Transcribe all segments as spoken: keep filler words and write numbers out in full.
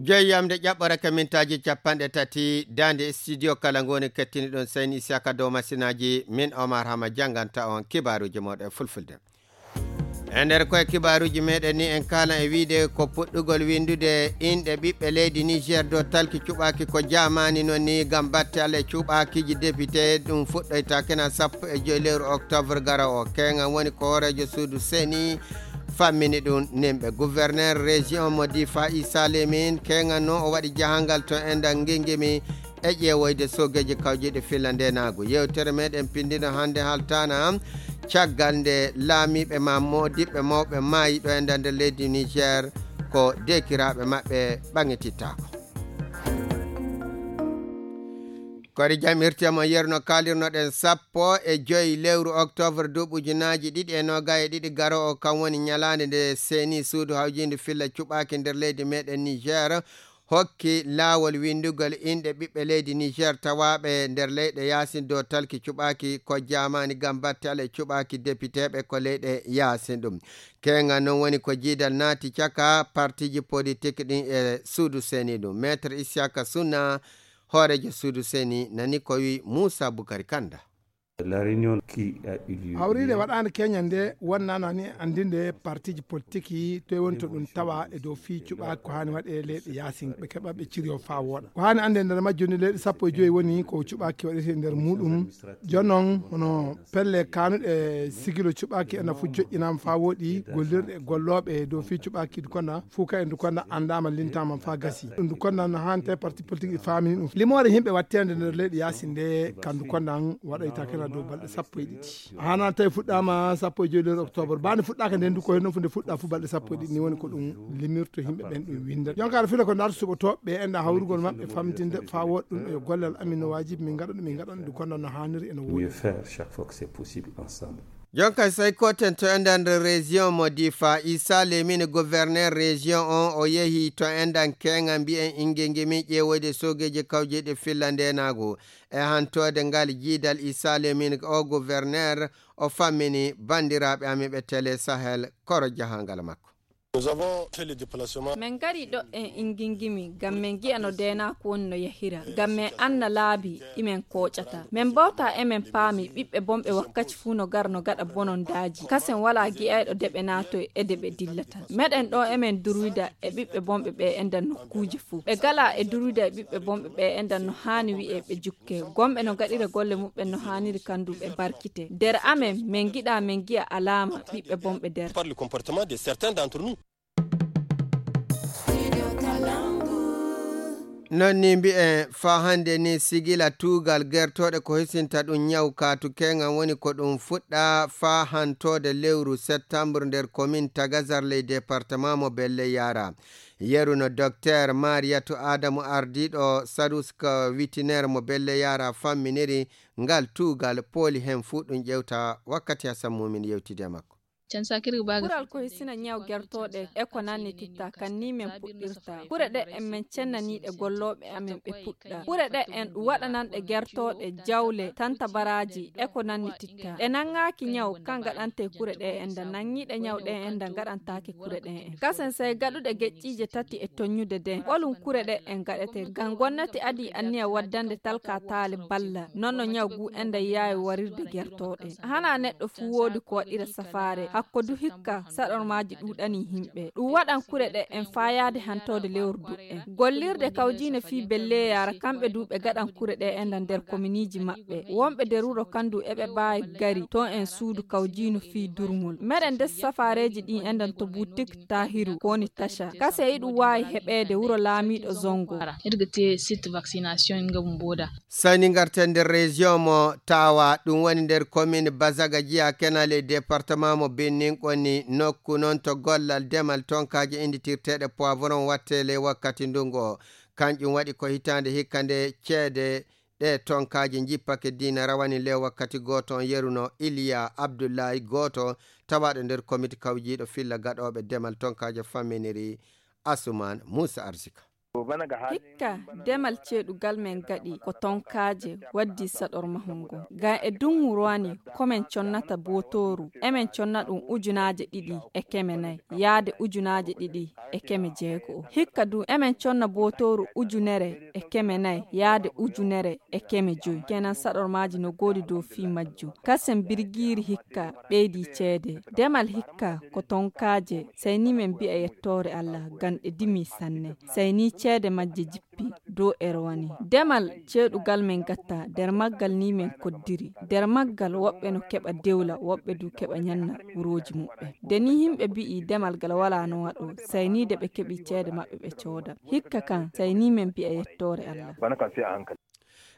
Jeeyamde ƴaɓɓore ka mintaaji capanɗe tati, daande studio kala ngoni kettini ɗum, Seyni Isiyaka dow masinaaji, min Omar Hama jannganta on kibaaruuji mooɗon e fulfulde. E nder koye kibaaruuji meɗen ni, en kaalan e wiide ko puɗɗugol winndude inɗe ɓiɓɓe leydi Niger dow talki cuɓaaki ko jaamaani noon ni ngam batte Alla e cuɓaakiiji député. Ɗum fuɗɗoyta kena sappo e joy lewru octobre garo o. Keeŋan woni ko hooreejo suudu Seyni fammini ɗum nimɓe. Gouverneur région mo Difa Issa Lemin, keeŋan noon o waɗi jahangal to enɗan Ngingimi e ƴeewoyde soogeeji kawjiiɗi filla ndenaagu. Yewtere meɗen pindino hannde haltaana caggal nde laamiiɓe ma moodiɓɓe mawɓe maayi ɗo e nder leydi Niger, ko deekiraaɓe maɓɓe ɓaŋitittaako. Kori jam irti mo yerno kaalirnoɗen sappo e joy lewru octobre duuɓi ujunaaji ɗiɗi e noogay e ɗiɗi garo o, kam woni ñalaande nde Seyni suudu hawjiindu filla cuɓaaki nder leydi meɗen Niger hokki laawol winndugol inɗe ɓiɓɓe leydi Niger tawaaɓe nder leyɗe yaasin dow talki cuɓaaki ko jaamaani ngam batte Alla e cuɓaaki depiteeɓe ko leyɗe yaasin ɗum. Keeŋan noon woni ko jiidal naati caka partiiji politik ɗin e suudu Seyni ɗum. Maître Isiyaka Sunna, hooreejo suudu Seyni, nani ko wi Muusa Bukari Kanda. La réunion qui a eu lieu Hawriinde hier waɗaande keñal nde wonnaa ni anndinde partiiji politiki toye woni to ɗum tawa e dow fii cuɓaaki ko haani waɗe leyɗe yaasin ɓe keɓa ɓe ciriyo faa wooɗa. Ko haani annde nder majjum ni leyɗe sappo e joyi woni ko cuɓaaki waɗete nder muuɗum. Jooni noon hono pelle kaanuɗe sigilo cuɓaaki ena fof joƴƴinaama faa wooɗi, gollirɗe e gollooɓe e dow fii cuɓaaki Dukonda, fof kay Dukonda anndaama lintaama faa gasi. Ɗum Dukonda no haani tawi parti politique ɗi faamini ɗum. Limoore yimɓe watteende nder leyɗe yaasin nde ka Dukonda waɗoyta kena dow balɗe sappo e ɗiɗi. Haana tawi fuɗɗaama sappo e joyi lewru octobre. Baa nde fuɗɗaaka nden du ko henno fu nde fuɗɗa fu balɗe sappo e ɗiɗi ni woni ko ɗum limirto yimɓe ɓen ɗum winda. Jonka aɗa fila ko ndarta suɓotooɓe ɓe enɗa hawrugol maɓɓe famtinde faa woɗɗum e gollal amin no waajibi min ngaɗa ɗum min ngaɗa ɗum Dukonda no haaniri eno woodi. Mieux faire chaque fois que c'est possible ensemble. Jonka sey koten to enɗan nder région mo Difa, Issa Lemine gouverneur région on o yehi to enɗan keeŋa mbiyen Ingingimi ƴeewoyde soogeeji kawjeeɗi filla ndenaagu. E hantoode ngal jiidal Issa Lemine o gouverneur o fammini banndiraaɓe amin ɓe Télé Sahel koro jahangal makko. Nous avons fait le déplacement. Min ngari ɗo en Ingingimi ngam min ngi'a no deenaaku woni no yahira, ngam min anna laabi ɗi min kooƴata. Min mbawta e min paami ɓiɓɓe bonɓe wakkaci fuu no gara no gaɗa bonondaaji. Kasen walaa gi'ayɗo de ɓe naatoy e de ɓe dillata. Meɗen ɗo e min durwida e ɓiɓɓe bonɓe ɓe enɗan nokkuuji fuu. Ɓe gala e durwida e ɓiɓɓe bonɓe ɓe enɗan no haani wi'e ɓe jukke. Gomɓe no gaɗira golle muɓɓen no haaniri kandu ɓe barkite. Der amen, min ngiɗa min ngi'a alaama ɓiɓɓe bonɓe der. Par le comportement de certains d'entre nous. Non ni mbi'en faa hannde ni sigila tuugal gertooɗe ko hisinta ɗum ñaw kaatu keeŋan woni ko ɗum fuɗɗa faa hantoode lewru septembre nder commune Tagazar ley département mo Belle Yara. Yeru no Docteur Mariyatu Adamu ardiiɗo Saduska Witiner mo Belle Yara famminiri ngal tuugal pooli heen fuu ɗum ƴewta wakkati Hasan Mumin yewtidi e makko. Can sakiri baga. Kural ko hisina ñaw gertooɗe e ko nannititta kan ni min puɗɗirta. Kure ɗe en min cennaniiɗe gollooɓe amen ɓe puɗɗa. Kure ɗe en ɗum waɗananɗe gertooɗe, jawle, tantabaraaji e ko nannititta. Ɗe nanngaaki ñaw kan gaɗante kure ɗe en da nanngiiɗe ñaw ɗe en da gaɗantaake kure ɗe en. Kasen sey gaɗuɗe geƴƴiije tati e tonñude den. Ɓolum kure ɗe en gaɗete. Ngam gonnati adii anniya waddande talka taale balla. Non no ñaw gu en da yaawi warirde gertooɗe. Hana neɗɗo fuu woodi ko waɗira safaare. Hakko du hikka saɗormaaji ɗuuɗanii himɓe. Ɗum waɗan kure ɗe en faayaade hantoode lewru duɗɗen. Gollirde kawjiino fii belleeyaara kamɓe du ɓe gaɗan kure ɗe en da nder kominiiji maɓɓe. Wonɓe der wuro kan du eɓe baawi gari to en suudu kawjiino fii durŋol. Meɗen ndes safaareeji ɗin en dan to butik Tahiru ko woni Taca. Kase iɗum waawi heɓeede wuro laamiiɗo Zongo. Irga te site vaccination nga bumboda. Sani ngarten nder région mo Tawa, ɗum woni nder commune Bazaga Jiya Kenal e département mo Benin Konni, nokku noon to gollal demal tonkaaji innditirteeɗe poivron watte ley wakkati ndungu o. Kanƴum waɗi ko hitaande hikka nde ceede ɗe tonkaaji njippake diina rawani ley wakkati gooto on yeruno Iliya Abdullahi gooto tawaaɗo nder komite kawjiiɗo filla gaɗooɓe demal tonkaaji famminiri Asuman Muusa Arsika. Hikka demal ceeɗugal men gaɗi ko tonkaaje waddi saɗor mahol ngol. Ngam e dungu rowani ko men connata bootooru, emen conna ɗum ujunaaje ɗiɗi e keme nayi yaade ujunaaje ɗiɗi e keme jeego o. Hikka du emen conna bootooru ujunere e keme nayi yaade ujunere e keme joyi. Kenan saɗor maaji no goodi dow fii majjum. Kasen birgiiri hikka ɓeydi ceede. Demal hikka ko tonkaaje, sai ni men mbi'a yettoore Allah, ngam ɗe dimi sanne. Sai ni ceede majje jippi dow erwani. Demal ceeɗugal men gatta, nder maggal ni men koddiri. Nder maggal woɓɓe no keɓa dewla, woɓɓe du keɓa nyanna wurooji muɓɓe. Nde ni himɓe mbi'i demal gal wala no waɗo, sai ni de ɓe keɓi ceede maɓɓe ɓe cooda. Hikka kan, sai ni men mbi'a yettoore Allah.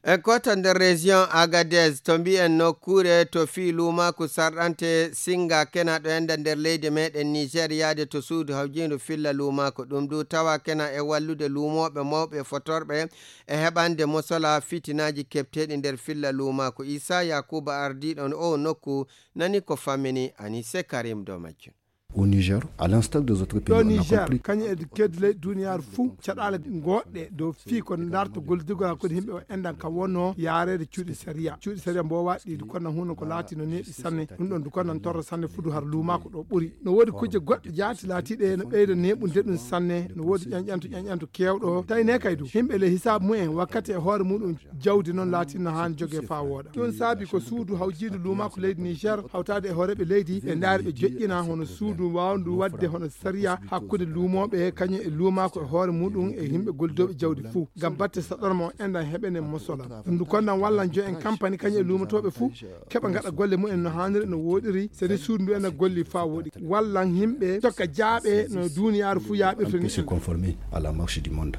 En kota nder région Agadez, to mbiyen nokkuure to fii luumaaku sarɗante singa kena ɗo enda nder leydi meɗen Niger yaade to suudu hawjiindu filla luumaaku. Ɗum du tawa kena e wallude luumooɓe mawɓe fotorɓe e heɓande mosola fitinaaji keɓteeɗi nder filla luumaaku. Isa Yakuba ardiiɗo o nokku nani ko fammini Anise Karim dow majjum. Au Niger, à l'instar des autres pays, ɗo on a Niger compris. Kañum e kedi leyɗe duniyaaru fuu caɗaale goɗɗe dow fii ko ndarta gollidugol hakkunde yimɓe o enɗan kam wonno yaareede cuuɗi sariya. Cuuɗi sariya mbowa ɗiɗi kono huno ko laati no neeɓi sanne. Ɗum ɗon du kono torra sanne fudu har luumaako ɗo ɓuri. No woodi kujje goɗɗe jaati laatiiɗe no ɓeyda neeɓude ɗum sanne. No woodi ƴanƴanto ƴanƴanto keewɗo tawi ne kay du yimɓe le hisaabu mumen wakkati e hoore muɗum jawdi noon laatinno haan jogee faa wooɗa. Ɗum saabi ko suudu hawjiidu luumaako leydi Niger hawtaade e hooreeɓe leydi ɓe ndaari ɓe joƴƴina hono suudu waawndu waɗde hono sariya hakkunde luumooɓe kañum e luumaako e hoore muɗum e yimɓe gollidooɓe jawdi fuu ngam batte saɗorma o enɗan heɓene mosola. Ɗum du konnan wallan jo'en kampani kañum e luumotooɓe fuu keɓa ngaɗa golle mumen no haaniri no wooɗiri seni suudu ndu ena golli faa wooɗi wallan yimɓe tokka jaaɓe no duuniyaaru fuu yaaɓirta ni. Conformer à la marche du monde.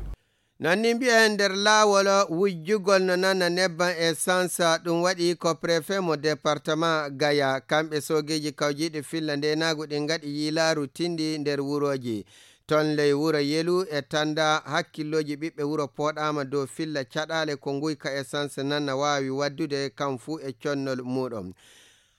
Nanni mbiya e nder laawol wujjugol no nana nebban essence, ɗum waɗi ko préfet mo département Gaya. Kamɓe soogeeji kawjiiɗi filla ndeenaagu ɗin ngaɗi yiilaaru tindi nder wurooji. Ton ley wuro Yelu e Tanda, hakkillooji ɓiɓɓe wuro pooɗaama dow filla caɗaale ko nguyka essence nana waawi waddude kam fuu e connol muuɗum.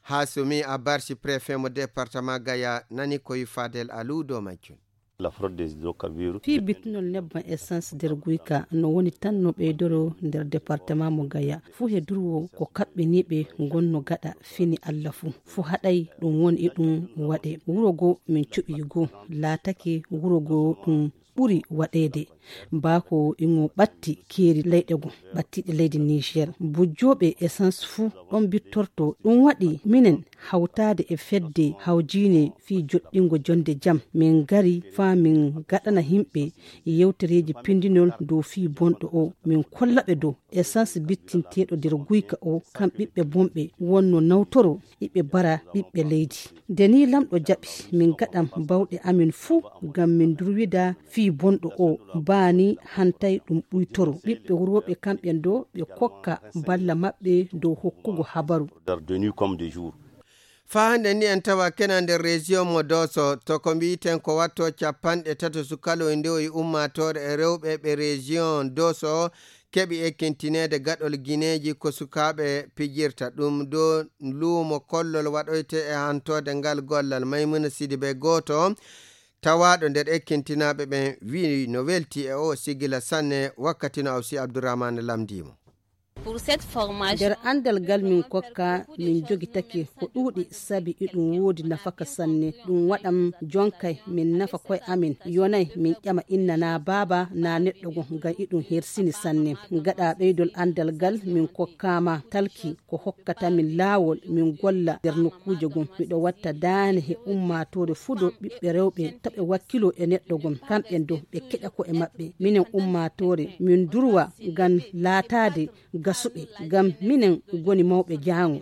Hasumi Abarsi, préfet mo département Gaya, nani ko wi Fadel Alou dow majjum. La fraude des hydrocarbures. Fii bittunol nebban essence nder guyka no woni tan no ɓeydoro nder département mo Gaya. Fuu he durwo ko kaɓɓiniiɓe ngonno gaɗa fini Allah fuu. Fuu haɗay ɗum won e ɗum waɗe. Wuro goo min cuɓii goo laatake wuro goo ɗum ɓuri waɗeede. Baako ingo ɓatti keeri leyɗe goo ɓattiiɗe leydi Niger. Bujjooɓe essence fuu ɗon bittorto. Ɗum waɗi minen hawtaade e fedde hawjiine fii joɗɗingo jonde jam. Min ngari faa min gaɗana yimɓe yewtereeji pindinol dow fii bonɗo o. Min kolla ɓe dow essence bittinteeɗo nder guyka o, kam ɓiɓɓe bonɓe wonno nawtoro iɓe mbara ɓiɓɓe leydi. Nde nii lamɗo jaɓi, min ngaɗan baawɗe amin fuu ngam min ndurwida fii bonɗo o, baa nii hantay ɗum ɓuytoro. Ɓiɓɓe wurooɓe kamɓe ɗoo ɓe kokka balla maɓɓe dow hokkugo habaru. De nuit comme de jour. Faa hannde ni en tawa kena nder région mo Dooso, to ko mbiiten ko watto capanɗe tato sukaloy ndewoyi ummaatoore e rewɓe ɓe région Dooso keɓi ekkintineede gaɗol gineeji ko sukaaɓe pijirta. Ɗum ɗo luumo kollol waɗoyte e hantoode ngal gollal. Maymuna Sidibe gooto tawaaɗo nder ekkintinaaɓe ɓen wi'i no welti e o sigila sanne wakkati no Awsi Abdourahmane lamndii mo. Nder anndal ngal min kokka, min jogitake ko ɗuuɗi sabi iɗum woodi nafaka sanne. Ɗum waɗan jonkay min nafa koye amin, yonay min ƴama inna naa baaba naa neɗɗo goo ngam iɗum hersini sanne. Gaɗa ɓeydol anndal ngal min kokkaama talki ko hokkata min laawol min golla nder nokkuuje goo. Miɗo watta daane he ummaatoore fudo ɓiɓɓe rewɓe to ɓe wakkilo e neɗɗo goo. Kamɓe do ɓe keƴa ko'e maɓɓe. Minen ummaatoore min durwa ngam laataade gasuɓe, ngam minen ngoni mawɓe jaango.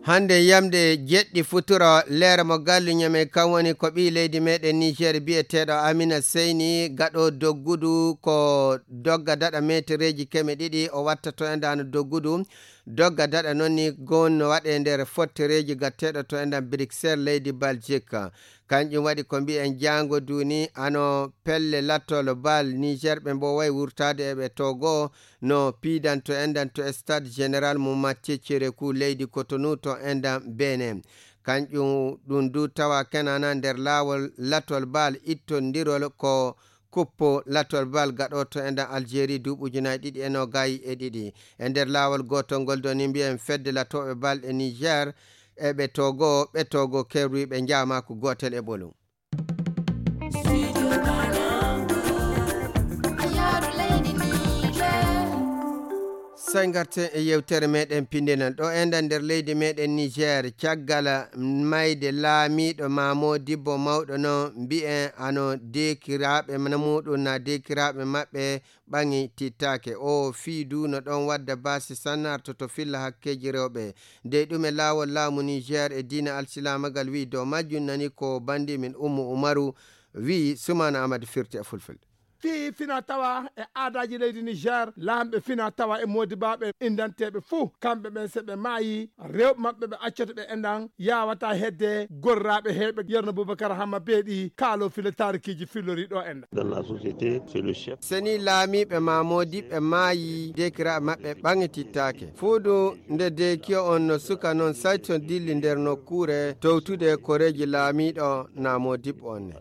Hannde yamde jeɗɗi futuro, leere mo gallu ñame kan woni ko ɓii leydi meɗen Niger biyeteeɗo Amina Seyni gaɗo doggudu ko dogga daɗa metereeji keme ɗiɗi o watta to endaano doggudu. Dogga daɗa noon ni gon no waɗe nder fottereeji gatteeɗo to endan Bruxelles leydi Belgique. Kanƴum waɗi ko mbiyen jaango duuni ano pelle lattol Bal Niger ɓe mbooway wurtaade e ɓe Togo no piidanto enɗan to stade général mo Mathieu Tchérépou leydi Cotonou to enɗan Benin. Kanƴum ɗum du tawa kenana nder laawol latol baal ittondirol ko kuppo latol baal gaɗoto e nder Algérie duuɓi ujunaaji ɗiɗi e noogay e ɗiɗi. E nder laawol gootol ngol ɗo ni mbiyen fedde latooɓe baal e Niger e ɓe Togo, ɓe Togo kerwi ɓe njaama ko gootel e ɓolum. Sey ngarten e yewtere meɗen pinndinal ɗo enɗan nder leydi meɗen Niger, caggal mayde laamiiɗo Maamo Dibbo mawɗo no mbi'en ano deekiraaɓe na muɗum na deekiraaɓe maɓɓe ɓaŋi tittaake. O fii du no ɗon wadda baasi sannarto to filla hakkeeji rewɓe. Dey ɗum e laawol laamu Niger e diina alsilaamagal wi'i dow majjum nani ko banndi min Ummu Umaru wi'i Sumaana Amadu firti e fulfulde. Fii fina tawa e aadaaji leydi Niger, laamɓe fina tawa e moodibaaɓe indanteeɓe fuu, kamɓe ɓen se ɓe maayi, rewɓe maɓɓe ɓe accoto ɓe enɗan, yaawata hedde gorraaɓe heyɓe Yerno Bubakar Hamma Beeɗi, kaalo filo taarikiiji fillori ɗo enɗan. Dans la société, c'est le chef. Seni laamiiɓe ma moodiɓɓe maayi, deekiraaɓe maɓɓe ɓaŋitittaake. Fuudu nde deekiyo on no suka non sayto dilli nder nokkuure towtude koreeji laamiiɗo na moodiɓɓe on ne.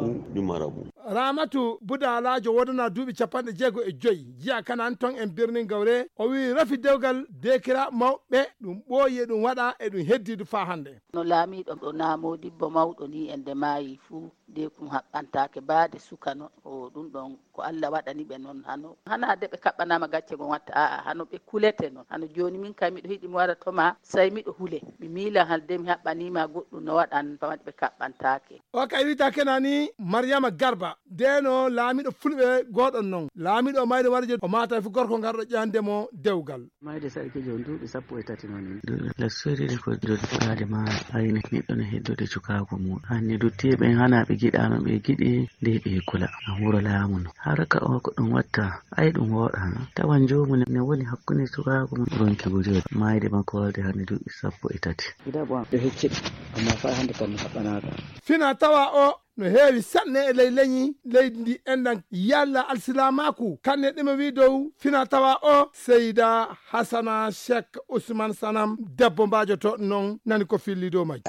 Ou du marabout. Ramatu Budalaajo wodana duuɓi capanɗe jeego e joyi, jiya kanan ton en birnin Gawre, o wi'i rafi dewgal deekiraaɓe mawɓe ɗum ɓooyi e ɗum waɗa e ɗum heddidu faa hannde. No laamiiɗo ɗo na moodibbo mawɗo ni e nde maayi fuu, deekum haɓɓantaake baade suka non. O ɗum ɗon ko Alla waɗani ɓe non hano. Hanaa de ɓe kaɓɓanaama gacce gon watta, aa'a, hano ɓe kulete non. Hano jooni min kay miɗo hiɗi mi wara to ma, sey miɗo hule. Mi miila hal de mi haɓɓaniima goɗɗum no waɗan fawade ɓe kaɓɓantaake. O kay wi'ata kenani Maryama Garba, deno laamiiɗo fulɓe gooɗon non. Laamiiɗo o mayde warje o maata fu gorko ngarɗo ƴande mo dewgal. Mayde sarkijo on duuɓi sappo e tati non. Lassoyde ko joddaade ma ayne neɗɗo no heddude cukaagu mum. Hanni duttiiɓe ɓen hana ɓe giɗaama ɓe giɗi nde ɓe kula. A wuro laamu no. Haraka o ko ɗum watta, ay ɗum wooɗaano. Tawan joomu ne, ne woni hakkunde cukaagu mum ronki wujooji. Mayde makko walde hanni duuɓi sappo e tati. Ida bon, ɓe hecciɗi, amma faa hannde kam mi haɓɓanaaka. Fina tawa o no heewi sanne e ley leñi leydi ndi enɗan yalla alsilaamaaku. Kanne ɗimo wi dow fina tawa o Seyda Hasana Cheikh Ousmane Sanam, debbo mbaajoto non nani ko filli dow majji.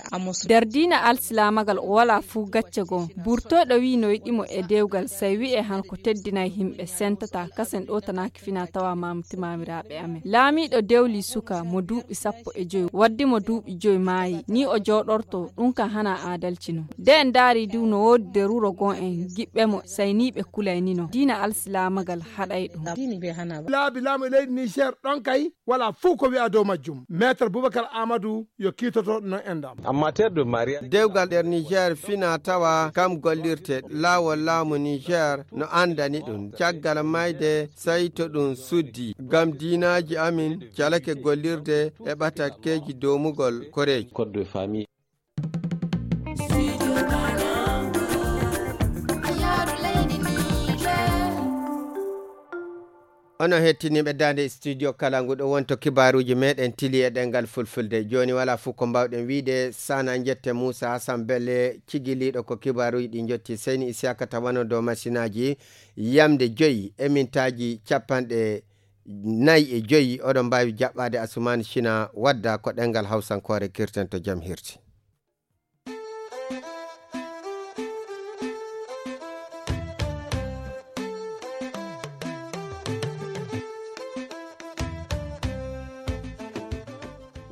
Nder diina alsilaamagal o walaa fuu gacce goo. Burtooɗo wi'i no yiɗi mo e dewgal, sey wi'e han ko teddinay himɓe sentata, kasen ɗootanaaki fina tawa maamti maamiraaɓe amen. Laamiiɗo dewli suka mo duuɓi sappo e joy, waddi mo duuɓi joy maayi, ni o jooɗorto, ɗum kan hana aadalci non. De en ndaari du no woodi nder wuro goo en giɓɓe mo, sey ni ɓe kulay ni non. Diina alsilaamagal haɗay ɗum. Laabi laamu e leydi Niger ɗon kay, walaa fuu ko wi'a dow majjum. Maître Boubacar Amadou yo kiitoto non enɗam. En matière de mariage. Dewgal nder Niger fina tawa kam gollirte laawol laamu Niger no anndani ɗum. Caggal mayde sey to ɗum suddi. Ngam diinaaji amin calake gollirde e ɓatakkeeji doomugol koreeji. Code de famille. Onon hettiniiɓe daande studio kala ngu ɗo wonto kibaaruuji meɗen tili e ɗemngal fulfulde. Jooni walaa fof ko mbaawɗen wiide sana njette Moussa Hassan Belle cigiliiɗo ko kibaaruuji ɗi njotti. Seyni Isiyaka tawano dow masinaaji yamde joyi e mintaaji capanɗe nayi e joyi. Oɗon mbaawi jaɓɓaade Asumaan Sina wadda ko ɗemngal Hawsankoore kirten to jam hirti.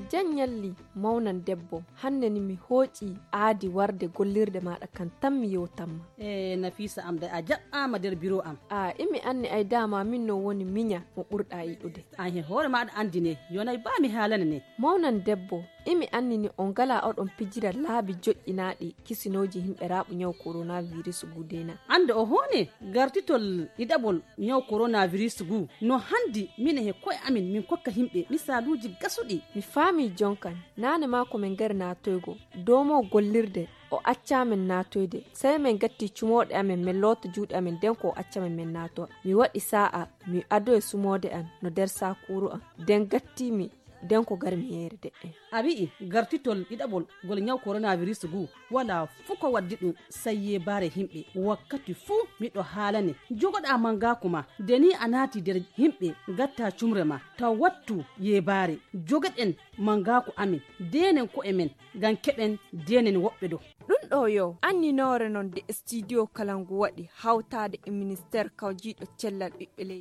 Jan ñalli mawnan debbo, hannde ni mi hooƴi aadi warde gollirde maaɗa kan tan mi yewtanma. E Nafiisa am de a jaɓɓaama nder biro am. A imi anni ay daama min no woni miña mo ɓurɗa yiɗude. An he hoore maaɗa anndi ne, yonay baa mi haalane ne. Mawnan debbo, imi anni ni on ngala oɗon pijira laabi joƴƴinaaɗi kisinooji himɓe raaɓu ñaw coronavirus gudena. Annde o hoone gartitol ɗiɗaɓol ñaw coronavirus gu no hanndi mine he ko'e amin min kokka himɓe misaaluuji gasuɗi. Mi faami jonkan, naane maa ko min ngari naatoygo, doomo gollirde, o accaa min naatoyde. Sey min gatti cumooɗe amin, min loota juuɗe amin, nden ko o acca min min naatowa. Mi waɗi saa'a, mi adoyi sumoode an no nder saakuuru an. Nden gatti mi Den ko garmi yeere de'en. A wi'i gartitol ɗiɗaɓol ngol ñaw koronavirus ngu, walaa fuu ko waddi ɗum, sey yeebaare yimɓe. Wakkati fuu miɗo haalane, jogoɗaa mangaaku ma, de ni a naati nder yimɓe, ngattaa cumre ma, taw wattu yeebaare. Jogoɗen mangaaku amin, deenen ko'e men, ngam keɓen deenen woɓɓe ɗo. Ɗum ɗo yo anninoore non de studio kala ngu waɗi hawtaade e ministeer kawjiiɗo cellal ɓiɓɓe leydi.